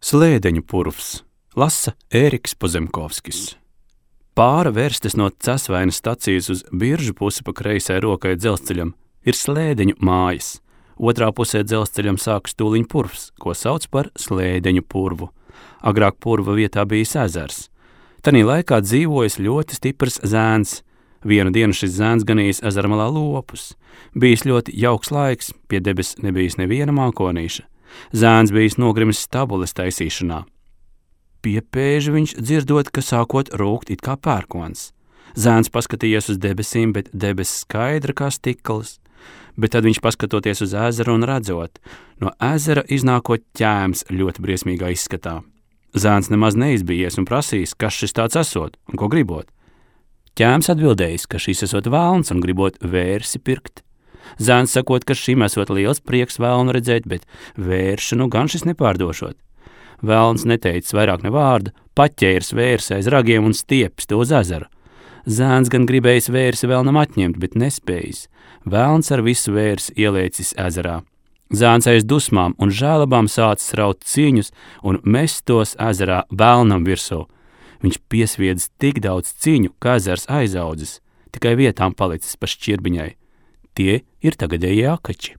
Slēdeņu purvs, lasa Ēriks Pozemkovskis. Pāra vērstes no Cesvainas stacijas uz Biržu pusi pa kreisai rokai dzelzceļam ir Slēdeņu mājas. Otrā pusē dzelzceļam sākas tūliņ purvs, ko sauc par Slēdeņu purvu. Agrāk purva vietā bijis ezers. Tanī laikā dzīvojis ļoti stiprs zēns. Vienu dienu šis zēns ganījis ezermalā lopus. Bijis ļoti jauks laiks, pie debes nebijis neviena mākonīša. Zēns bijis nogrimis stabules taisīšanā. Piepēži viņš dzirdot, ka sākot rūkt it kā pērkons. Zēns paskatījies uz debesīm, bet debesis skaidra kā stikls. Bet tad viņš paskatoties uz ezeru un redzot, no ezera iznākot ķēms ļoti briesmīgā izskatā. Zēns nemaz neizbijies un prasījis, kas šis tāds esot un ko gribot. Ķēms atbildējis, ka šis esot vēlns un gribot vērsi pirkt. Zēns sakot, ka šim esot liels prieks vēlnu redzēt, bet vēršanu gan šis nepārdošot. Vēlns neteicis vairāk ne vārda, paķērs vērsi aiz ragiem un stiepis to uz ezeru. Zēns gan gribējis vērsi vēlnam atņemt, bet nespējis. Vēlns ar visu vērsi ielēcis ezerā. Zēns aiz dusmām un žēlabām sācis raut ciņus un mest tos ezerā vēlnam virsū. Viņš piesviedis tik daudz ciņu, ka ezers aizaudzis, tikai vietām palicis pa šķirbiņai. Tie ir tagadējie akači.